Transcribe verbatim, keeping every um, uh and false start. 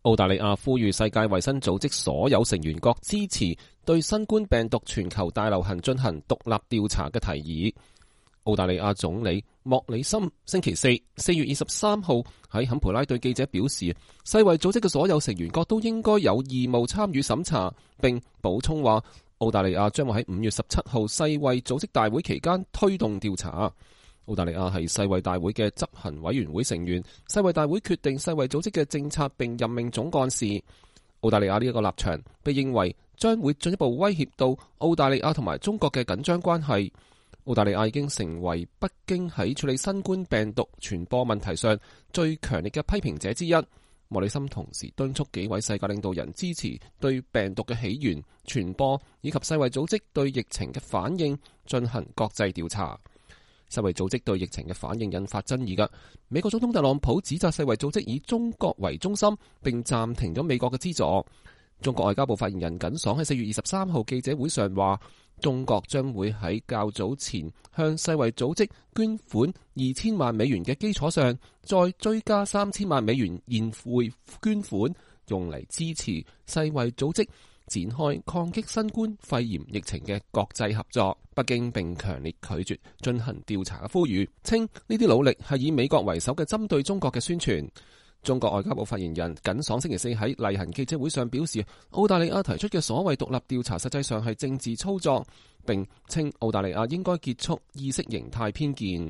澳大利亞呼籲世界衛生組織所有成員國支持對新冠病毒全球大流行進行獨立調查嘅提議。澳大利亞總理莫里森星期四四月二十三號喺坎培拉對記者表示，世衛組織嘅所有成員國都應該有義務參與審查，並補充話澳大利亞將會喺五月十七號世衛組織大會期間推動調查。澳大利亞係世衛大會嘅執行委員會成員，世衛大會決定世衛組織嘅政策並任命總幹事。澳大利亞呢一個立場被認為將會進一步威脅到澳大利亞同埋中國嘅緊張關係。澳大利亞已經成為北京喺處理新冠病毒傳播問題上最強烈嘅批評者之一。莫里森同時敦促幾位世界領導人支持對病毒嘅起源、傳播以及世衛組織對疫情嘅反應進行國際調查。世衛組織對疫情嘅反應引發爭議嘅，美國總統特朗普指責世衛組織以中國為中心，並暫停咗美國嘅資助。中國外交部發言人耿爽喺四月二十三號記者會上話，中國將會喺較早前向世衛組織捐款二千萬美元嘅基礎上，再追加三千萬美元現匯捐款，用嚟支持世衛組織展開抗擊新冠肺炎疫情嘅國際合作。北京並強烈拒絕進行調查嘅呼籲，稱呢啲努力係以美國為首嘅針對中國嘅宣傳。中國外交部發言人耿爽星期四喺例行記者會上表示，澳大利亞提出嘅所謂獨立調查實際上係政治操作，並稱澳大利亞應該結束意識形態偏見。